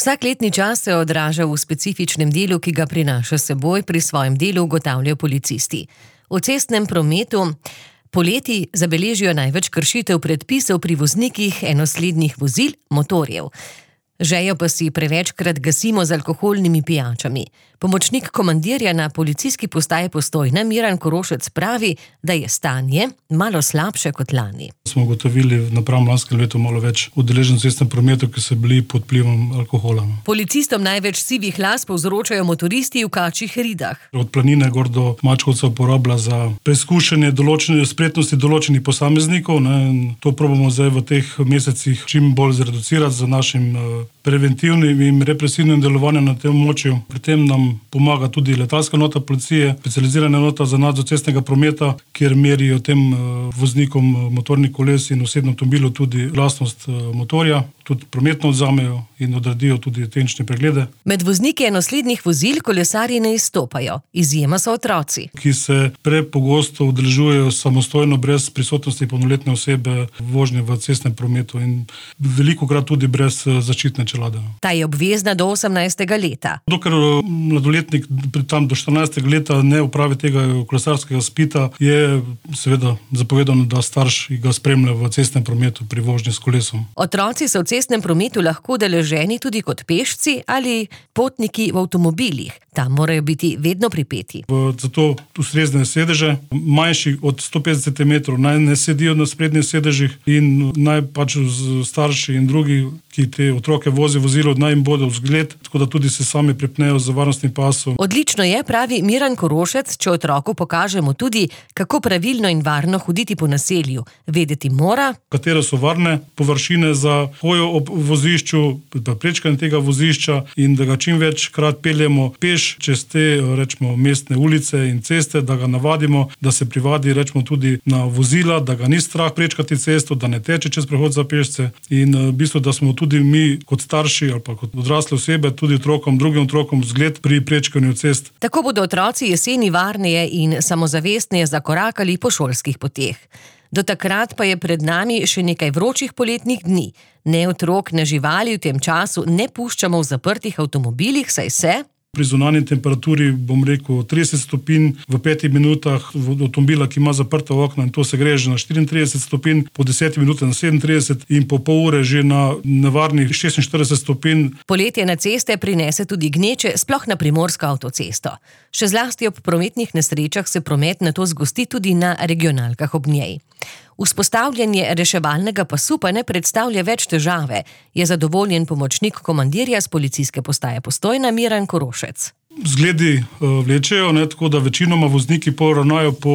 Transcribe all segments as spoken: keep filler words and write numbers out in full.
Vsak letni čas se odraža v specifičnem delu, ki ga prinaša s seboj, pri svojem delu ugotavljajo policisti. V cestnem prometu poleti zabeležijo največ kršitev predpisov pri voznikih enoslednih vozil, motorjev. Žejo pa si prevečkrat gasimo z alkoholnimi pijačami. Pomočnik komandirja na policijski postaji Postojna Miran Korošec pravi, da je stanje malo slabše kot lani. Smo ugotovili napram lanskem letu malo več udeležencev v cestnem prometu, ki so bili pod vplivom alkohola. Policistom največ sivih las povzročajo motoristi v kačjih ridah. Od Planine gor do Mačkovca uporablja za preizkušanje določene spretnosti določenih posameznikov. Ne. To probamo zdaj v teh mesecih čim bolj zreducirati z našim preventivnim in represivnim delovanjem na tem območju. Pri tem nam pomaga tudi letalska nota policije, specializirana nota za nadzor cestnega prometa, kjer merijo tem voznikom motornih koles in osebnih avtomobilov tudi glasnost motorja, tudi prometno odzamejo in odradijo tudi tehnične preglede. Med vozniki enoslednih vozil kolesarji ne izstopajo. Izjema so otroci, ki se prepogosto udeležujejo samostojno brez prisotnosti polnoletne osebe vožnje v cestnem prometu in velikokrat tudi brez zaščitne čelade. Ta je obvezna do osemnajstega leta. Dokler mladoletnik tam do štirinajstega leta ne opravi tega kolesarskega izpita, je seveda zapovedano, da starš ga spremlja v cestnem prometu pri vožnji s kolesom. Otroci so v cestnem prometu lahko udeleženi tudi kot pešci ali potniki v avtomobilih. Tam morajo biti vedno pripeti. Zato ustrezne sedeže, manjši od sto petdeset centimetrov, naj ne sedijo na sprednjih sedežih in naj pač starši in drugi, ki te otroke vozijo vozilo, naj jim bodo vzgled, tako da tudi se sami pripnejo z varnostnim pasom. Odlično je, pravi Miran Korošec, če otroku pokažemo tudi, kako pravilno in varno hoditi po naselju. Vedeti mora, katere so varne površine za hojo ob vozišču, prečkanje tega vozišča in da ga čim večkrat peljemo peš čez te, rečemo, mestne ulice in ceste, da ga navadimo, da se privadi, rečemo, tudi na vozila, da ga ni strah prečkati cesto, da ne teče čez prehod za pešce in v bistvu, da smo tudi mi kot starši ali pa kot odrasle osebe, tudi otrokom, drugim otrokom vzgled pri prečkanju cest. Tako bodo otroci jeseni varneje in samozavestneje zakorakali po šolskih poteh. Do takrat pa je pred nami še nekaj vročih poletnih dni. Ne otrok, ne živali v tem času ne puščamo v zaprtih avtomobilih, saj se pri zunanji temperaturi, bom rekel, trideset stopinj v petih minutah avtomobila, ki ima zaprta okna, in to se gre že na štiriintrideset stopinj, po desetih minutah na sedemintrideset in po pol ure že na nevarnih šestinštirideset stopinj. Poletje na ceste prinese tudi gneče, sploh na primorsko avtocesto. Še zlasti ob prometnih nesrečah se promet nato zgosti tudi na regionalkah ob njej. Vzpostavljanje reševalnega pasu pa ne predstavlja več težave, je zadovoljen pomočnik komandirja s policijske postaje Postojna Miran Korošec. Zgledi vlečejo, ne, tako da večinoma vozniki poravnajo po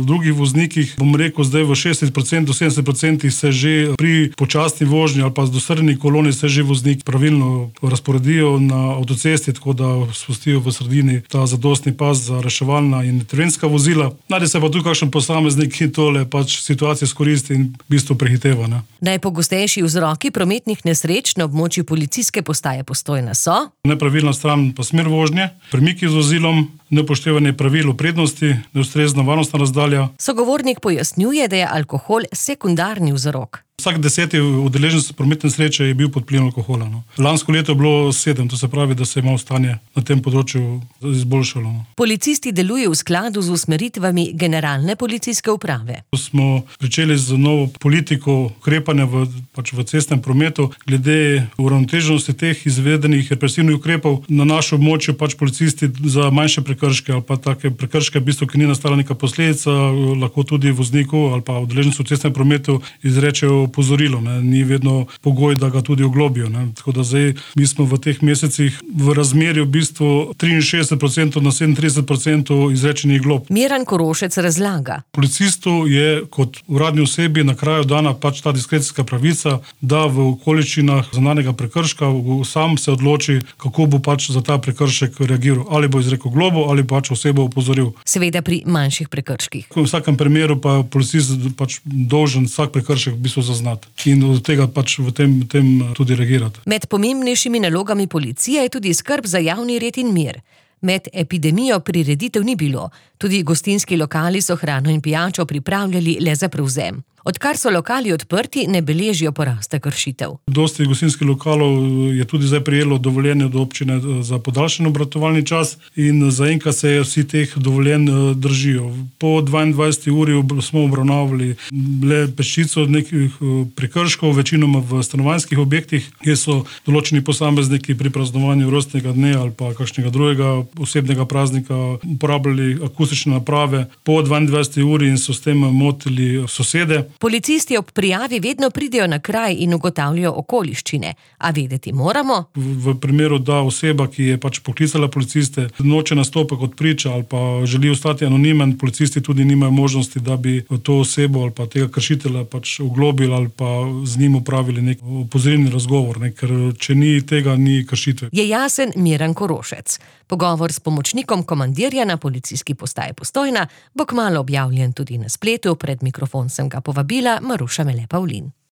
drugih voznikih. Bom rekel, zdaj v šestdeset procentov do sedemdeset procentov se že pri počasni vožnji ali pa z dostrjeni koloni se že voznik pravilno razporedijo na avtocesti, tako da spustijo v sredini ta zadostni pas za reševalna in terenska vozila. Najde se pa tu kakšen posameznik, ki tole pač situacijo izkoristi in v bistvu prehiteva. Ne. Najpogostejši vzroki prometnih nesreč na območju policijske postaje Postojna so nepravilna stran pa smer vožnje, premiki z vozilom, neupoštevanje pravil o prednosti, neustrezna varnostna razdalja. Sogovornik pojasnjuje, da je alkohol sekundarni vzrok. Vsak deseti udeleženec prometne nesreče je bil pod vplivom alkohola. No. Lansko leto je bilo sedem, to se pravi, da se je malo stanje na tem področju izboljšalo. No. Policisti delujejo v skladu z usmeritvami generalne policijske uprave. Smo pričeli z novo politiko ukrepanja v, pač v cestnem prometu glede uravnoteženosti teh izvedenih represivnih ukrepov. Na našem območju pač policisti za manjše prekrške ali pa take prekrške, v bistvu, ki ni nastala neka posledica, lahko tudi vozniku ali pa udeležencu v cestnem prometu izrečejo pozorilo, ne. Ni vedno pogoj, da ga tudi oglobijo. Ne. Tako da zdaj mi smo v teh mesecih v razmerju v bistvu triinšestdeset procentov na sedemintrideset procentov izrečenih glob. Miran Korošec razlaga. Policistu je kot uradni osebi na kraju dana pač ta diskrecijska pravica, da v okoliščinah zaznanega prekrška sam se odloči, kako bo pač za ta prekršek reagiral. Ali bo izrekel globo ali pač osebo opozoril. Seveda pri manjših prekrških. V vsakem primeru pa policist pač dolžen vsak prekršek v bistvu zaznati in od tega pač v tem, tem tudi reagirati. Med pomembnejšimi nalogami policije je tudi skrb za javni red in mir. Med epidemijo prireditev ni bilo, tudi gostinski lokali so hrano in pijačo pripravljali le za prevzem. Odkar so lokali odprti, ne beležijo porasta kršitev. Dosti gostinskih lokalov je tudi zdaj prejelo dovoljenje od občine za podaljšan obratovalni čas in zaenkrat se vsi teh dovoljenj držijo. Po dvaindvajseti uri smo obravnavali le peščico nekih prekrškov, večinoma v stanovanjskih objektih, kjer so določeni posamezniki pri praznovanju rojstnega dne ali pa kakšnega drugega osebnega praznika uporabljali akustične naprave po dvaindvajseti uri in so s tem motili sosede. Policisti ob prijavi vedno pridejo na kraj in ugotavljajo okoliščine, a vedeti moramo. V, v primeru, da oseba, ki je pač poklicala policiste, noče nastopiti kot priča ali pa želi ostati anonimen, policisti tudi nimajo možnosti, da bi to osebo ali pa tega kršitelja pač oglobili ali pa z njim upravili nek opozorilni razgovor, ne? Ker če ni tega, ni kršitve. Je jasen Miran Korošec. Pogovor s pomočnikom komandirja na policijski postaji Postojna bo kmalu objavljen tudi na spletu. Pred mikrofon sem ga povabila Maruša Mele Pavlin.